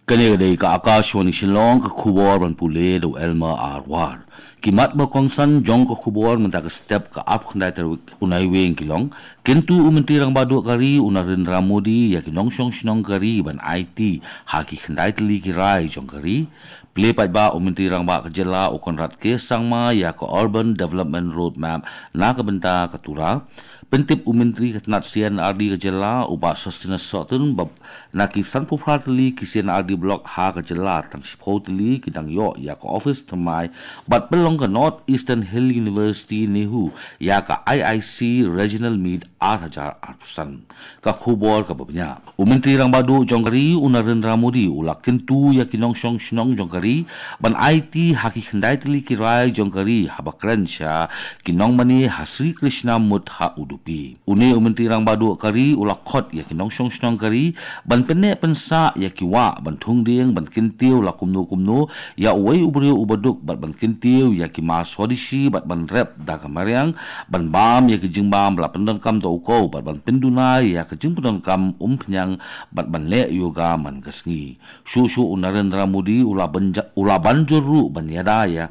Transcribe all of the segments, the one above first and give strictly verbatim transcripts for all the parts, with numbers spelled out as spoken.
Kane ka dei ka Akashvani Shillong, ka khubor ban pule da u Elmer R War. Ki mat ba kongsan jong ka khubor mynta ka step ka arphew khyndai tarik u Naiwieng ki long: Kyntu u Myntri Rangbah Duh ka ri u Narendra Modi ïa ki nongshong shnong ka ri ban aiti ha ki khyndai tylli ki rai jong ka ri. Plie paidbah u Myntri Rangbah ka jylla u Conrad K Sangma ïa ka Urban Development Roadmap na ka bynta ka Tura. Pyntip u Myntri ka tnat C and R D ka jylla u Bah Sosthenes Sohtun ba na ki sanphew phra tylli ki C and R D block ha ka jylla, tang shiphew tylli ki dang ïoh ïa ka office thymmai bad pynlong ka North Eastern Hill University NEHU ïa ka I I C Regional Meet ar hajar arphew san. Ka khubor kaba bniah. U Myntri Rangbah Duh jong ka ri u Narendra Modi u la kyntu ïa ki nongshong shnong jong ka ri ban aiti ha ki khyndai tylli ki rai jong ka ri haba kren sha ki nongmane ha Sri Krishna Mutt ha Udupi. Une u Myntri Rangbah Duh ka ri u la khot ïa ki nongshong shnong ka ri ban pynneh pynsah ïa ki wah, ban thung dieng, ban kyntiew la kumno kumno ïa uwei u briew uba duk, bad ban kyntiew ïa ki mar Swadeshi, bad ban rep da ka mariang, ban bam ïa ki jingbam ba la pyndonkam da u khew, bad ban pynduna ïa ka jingpyndonkam umphniang, bad ban leh yoga man ka sngi. Shuh shuh u Narendra Modi u la ban ja-, u la ban jur ruh ban ïada ïa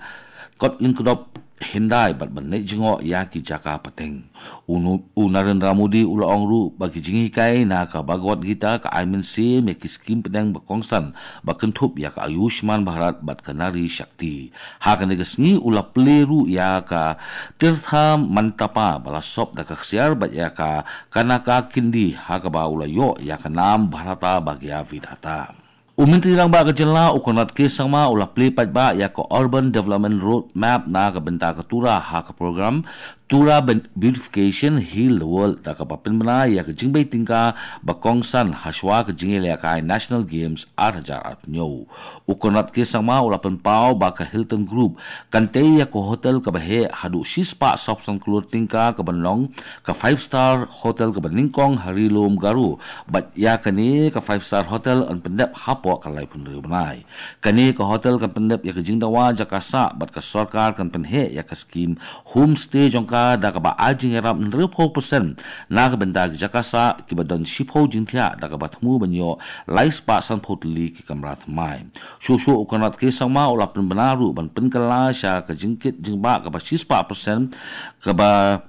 kot lyngkdop hyndai bad ban leit jngoh ïa ki jaka pateng. U nu-, u Narendra Modi u la ong ruh ba ki jinghikai na ka Bhagavad Gita ka ai mynsiem ïa ki skim pdeng ba kongsan ba kynthup ïa ka Ayushman Bharat bad ka Nari Shakti. Ha kane ka sngi u la plie ruh ïa ka Tirtha Mantapa ba la sop da ka ksiar bad ïa ka Kanaka Kindi ha kaba u la ïoh ïa ka nam Bharata Bhagya Vidhata. U Myntri Rangbah ka jylla u Conrad K Sangma u la plie paidbah ïa ka Urban Development Roadmap na ka bynta ka Tura ha ka program Tura Ben-, Beautification Heal the World da kaba pynbna ïa ka jingbei tyngka ba kongsan hashwa ka jingïalehkai National Games ar hajar arphew hynñiew. U Conrad K Sangma u la pynpaw ba ka Hilton Group kan tei ïa ka hotel kaba heh haduh shispah sawphew san klur tyngka kaban long ka five star hotel kaba nyngkong ha Ri Lum Garo, bad ïa kane ka five star hotel yn pyndep hapoh ka laiphew hynriew bnai. Kane ka hotel kan pyndep ïa ka jingdawa jaka sah bad ka sorkar kan pynheh ïa ka skim homestay jong ka da kaba ai jingïarap hynriewphew percent na ka bynta ki jaka sah kiba don shiphew jingthiah da kaba thmu ban ïoh laispah sanphew tylli ki kamra thymmai. Shuh shuh u Conrad K Sangma u la pynbna ruh ban pynkylla sha ka jingkit jingbah kaba shispah percent kaba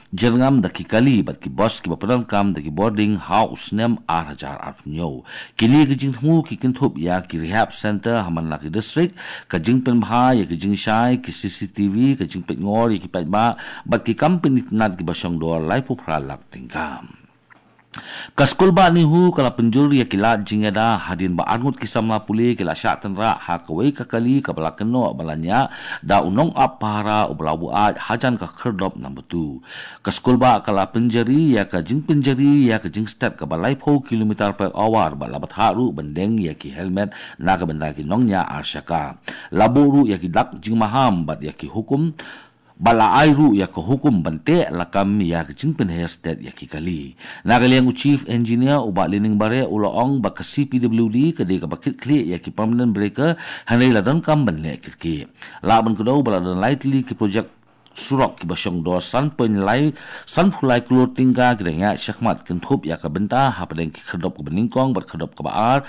jyrngam da ki kali bad ki bus kiba pyndonkam da ki boarding ha u snem ar hajar arphew hynñiew. Kine ki jingthmu ki kynthup ïa ki rehab center ha man la ki district, ka jingpynbha ïa ki jingshai, ki C C T V, ka jingpeitngor ïa ki paidbah bad ki kam pynitynnad kiba shongdor laiphew phra lak tyngka. Ka skulbah NEHU ka la pynjur ïa ki lad jingïada hadien ba arngut ki samla pule ki la shah tynrah ha kawei ka kali kaba la kynnoh ba la ñiah da u nongap pahara uba la buaid hajan ka khyrdop number two. Ka skulbah ka la pynjari ïa ka jingpynjari ïa ka jingstet kaba laiphew kilometer per hour bad la bthah ruh ban deng ïa ki helmet na ka bynta ki nongñiah arshaka. La buh ruh ïa ki dak jingmaham bad ïa ki hukum, bad la ai ruh ïa ka hukum ban teh lakam ïa ka jingpynher stet ïa ki kali. Na ka liang u Chief Engineer u Bah Lining Bareh u la ong ba ka C P W D ka dei kaba kit khlieh ïa ki permanent breaker, hynrei la donkam ban leh kit khlieh. Lah ban kdew ba la don lai tylli ki projek surok kiba shongdor san point lai, sanphew lai klur tyngka ki dang ïaid shakhmat kynthup ïa ka bynta hapdeng ki khyrdop kaba nyngkong bad khyrdop kaba ar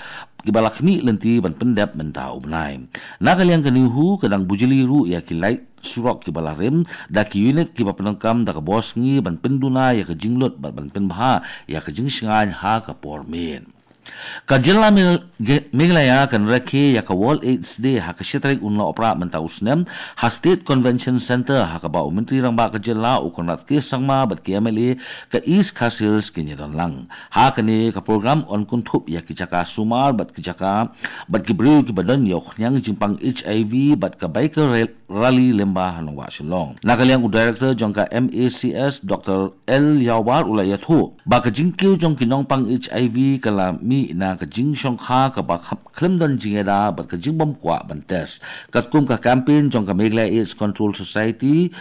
kiba la khmih lynti ban pyndep mynta u bnai. Na ka liang ka NEHU ka dang bujli ruh ïa ki light surok kiba la rim da ki unit kiba pyndonkam da ka bor sngi ban pynduna ïa ka jinglut bad ban pynbha ïa ka jingshngaiñ ha ka por miet. Ka jylla Mel-, Ge-, Meghalaya kan rakhe ïa ka World AIDS Day ha ka shi tarik u Nohprah mynta u snem ha State Convention Centre, ha kaba u Myntri Rangbah ka jylla u Conrad K Sangma bad ki M L A ka East Khasi Hills kin ïadon lang. Ha kane ka program yn kynthup ïa ki jaka sumar bad ki jaka bad ki briew kiba don ïa u khñiang jingpang H I V bad ka biker rally lyngba ha Nongwah Shillong. Na ka liang u Director jong ka M A C S, Doctor L Yawar u la ïathuh ba ka jingkiew jong ki nongpang H I V ka la mih na ka jingshongkha kaba khlem don jingïada bad ka jingbym kwah ban test. Katkum ka campaign jong ka Meghalaya AIDS Control Society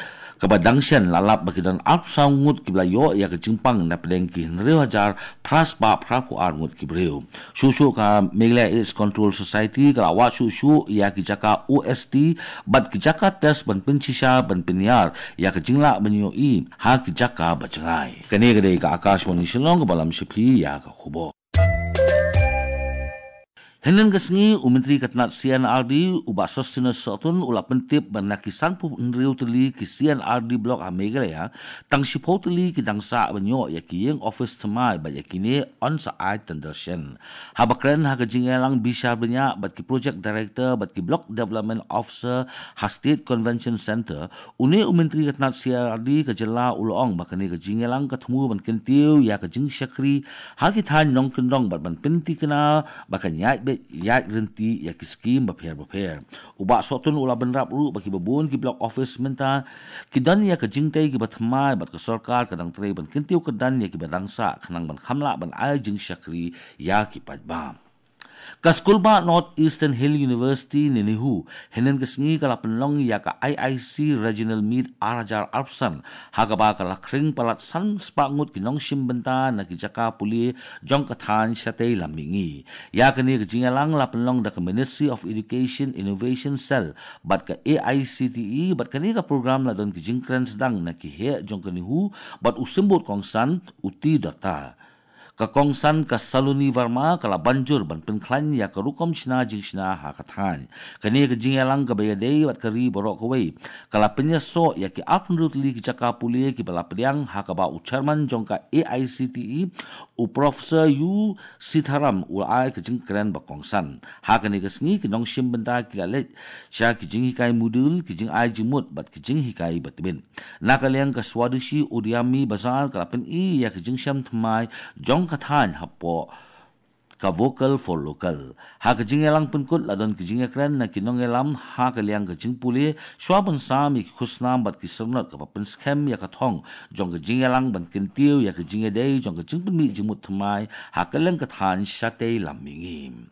kaba dang shen, la lap ba ki don arphew saw ngut kiba la ïoh ïa ka jingpang napdeng ki hynriew hajar phra spah phraphew ar ngut ki briew. Shuh shuh ka Meghalaya AIDS Control Society ka la wad shuh shuh ïa ki jaka O S T bad ki jaka test ban pynshisha ban pynïar ïa ka jinglah ban ïohi ha ki jaka ba jngai. Kane ka dei ka Akashvani Shillong kaba lam sha phi ïa ka khubor. Hynnin ka sngi, u Myntri ka tnat C and R D, u Bah Sosthenes Sohtun, u la pyntip ba na ki sanphew hynriew tylli ki C and R D block ha Meghalaya, tang shiphew tylli ki dang sah ban ïoh ïa ki ïing office thymmai bad ïa kine yn sa ai tender shen. Haba kren ha ka jingïalang bishar bniah bad ki project director bad ki block development officer ha State Convention Centre, une u Myntri ka tnat C and R D ka jylla u la ong ba kane ka jingïalang ka thmu ban kyntiew ïa ka jingshakri ha ki thaiñ nongkyndong bad ban pynthikna ba kan ïaid beit ïaid ryntih ïa ki skim bapher bapher. U Bah Sohtun u la bynrap ruh ba kiba bun ki block office mynta ki don ïa ka jingtei kiba thymmai bad ka sorkar ka dang trei ban kyntiew kyrdan ïa kiba dang sah khnang ban kham lah ban ai jingshakri ïa ki paidbah. Ka skulbah North Eastern Hill University ne NEHU, hynnin ka sngi ka la pynlong ïa ka I I C Regional Meet ar hajar arphew san, ha kaba ka la khring palat san spah ngut ki nongshim bynta na ki jaka pule jong ka thaiñ shatei lam mihngi. Ïa kane ka jingïalang la pynlong da ka Ministry of Education Innovation Cell bad ka A I C T E, bad kane ka program la don ki jingkren sdang na ki heh jong ka NEHU bad u symbud kongsan, u T Dutta. Ka kongsan ka Saloni Verma ka la ban jur ban pynkhlaiñ ïa ka rukom shna jingshna ha ka thaiñ. Kane ka jingïalang kaba ïadei bad ka ri baroh kawei ka la pynïasoh ïa ki arphew hynriew tylli ki jaka pule kiba la pdiang, ha kaba u chairman jong ka A I C T E, u Professor U Sitharam, u la ai ka jingkren ba kongsan. Ha kane ka sngi ki nongshim bynta ki la leit sha ki jinghikai module, ki jingai jingmut bad ki jinghikai ba tbit. Na ka liang ka Swadeshi Udyami Bazar ka la pyni ïa ka jingshem thymmai jong ka thaiñ hapoh ka Vocal for Local. Ha ka jingïalang pynkut la don ka jingïakren na ki nongïalam ha ka liang ka jingpule shuwa ban sam ïa ki khusnam bad ki syrnod, kaba pynskhem ïa ka thong jong ka jingïalang ban kyntiew ïa ka jingïadei jong ka jingpynmih jingmut thymmai ha ka liang ka thaiñ shatei lam mihngi.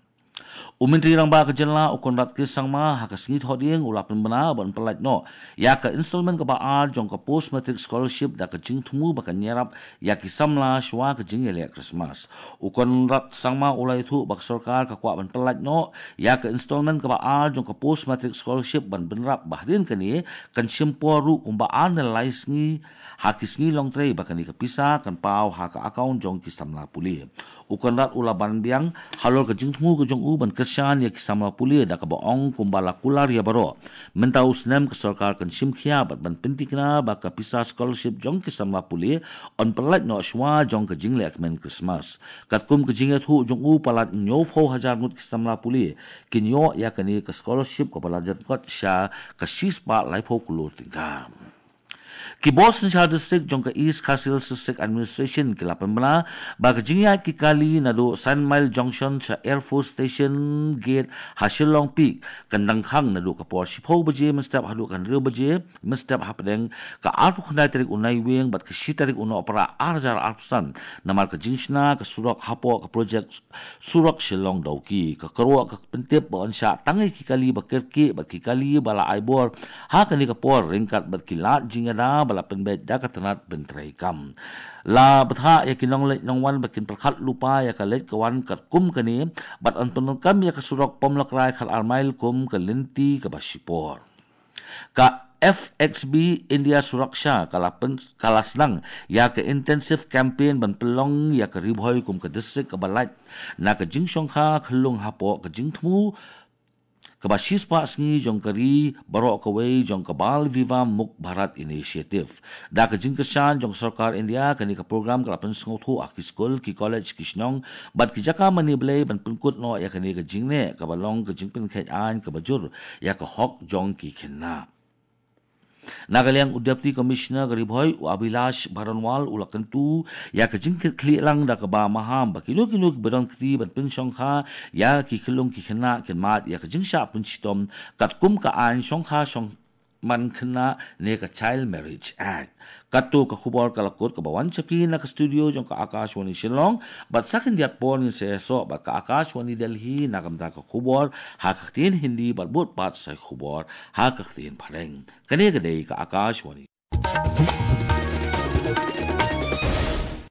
U Myntri Rangbah ka jylla, u Conrad K Sangma, ha ka sngi Thohdieng u la pynbna ban pyllait noh ïa ka installment kaba ar jong ka Post Matric Scholarship da ka jingthmu ba kan ïarap ïa ki samla shuwa ka jingïaleh Christmas. U Conrad Sangma u la ïathuh ba ka sorkar ka kwah ban pyllait noh ïa ka installment kaba ar jong ka Post Matric Scholarship ban bynrap ba hadien kane kan shim por ruh kumba ar ne lai sngi ha ki sngi longtrei ba kane ka pisa kan paw ha ka account jong ki samla pule. U Conrad u la ban biang halor ka jingthmu ka jong u ban kyrshan ïa ki samla pule da kaba ong kumba la kular ïa baroh, mynta u snem ka sorkar kan shim khia bad ban pynthikna ba ka pisa scholarship jong ki samla pule yn pyllait noh shuwa jong ka jingleh kmen Christmas. Katkum ka jingïathuh jong u, palat hynñiewphew hajar ngut ki samla pule kin ïoh ïa kane ka scholarship kaba la jan kot sha ka shispah laiphew klur tyngka. Ki bor synshar district jong ka East Khasi Hills District Administration ki la pynbna ba ka jingïaid ki kali naduh Saint Mile Junction sha Air Force Station Gate ha Shillong Peak kan dang khang naduh ka por shiphew baje mynstep haduh ka hynriew baje mynstep hapdeng ka arphew khyndai tarik u Naiwieng bad ka shi tarik u Nohprah ar hajar arphew san, namar ka jingshna ka surok hapoh ka projek surok Shillong Dawki. Ka kyrwoh ka pyntip ba yn shah tang ïa ki kali ba kyrkieh bad ki kali ba la ai bor ha kane ka por ryngkat bad ki lad jingïada ba la pynbeit da ka tnat pyntreikam. La bthah ïa ki nongleit nongwan ba kin pyrkhat lypa ïa ka leit ka wan katkum kane bad yn pyndonkam ïa ka surok Pomlakrai khatar mile kum ka lynti kaba shipor. Ka F X B India Suraksha ka la pyn-, ka la sdang ïa ka intensive campaign ban pynlong ïa ka Ri Bhoi kum ka district kaba lait na ka jingshongkha khyllung hapoh ka jingthmu kaba shispah sngi jong ka ri baroh kawei jong ka Bal Vivah Mukt Bharat Initiative. Da ka jingkyrshan jong ka sorkar India, kane ka program ka la pynsngewthuh ha ki skul, ki college, ki shnong bad ki jaka mane blei ban pynkut noh ïa kane ka jingneh kaba long ka jingpynkheit aiñ kaba jur ïa ka hok jong ki khynnah. Na ka liang u Deputy Commissioner ka Ri Bhoi, u Abhilash Baranwal, u la kyntu ïa ka jingkitkhlieh lang da kaba maham ba kino kino kiba don kti ban pynshongkha ïa ki khyllung ki khynnah kin mad ïa ka jingshah pynshitom katkum ka aiñ shongkha shong man khynnah ne ka Child Marriage Act. Kato ka khubor ka la kut kaba wan sha phi na ka studio jong ka Akashvani Shillong, bad sa khyndiat por ngin sa ïasoh bad ka Akashvani Delhi na ka bynta ka khubor ha ka ktien Hindi bad bud pat sa khubor ha ka ktien Phareng. Kane ka dei ka Akashvani.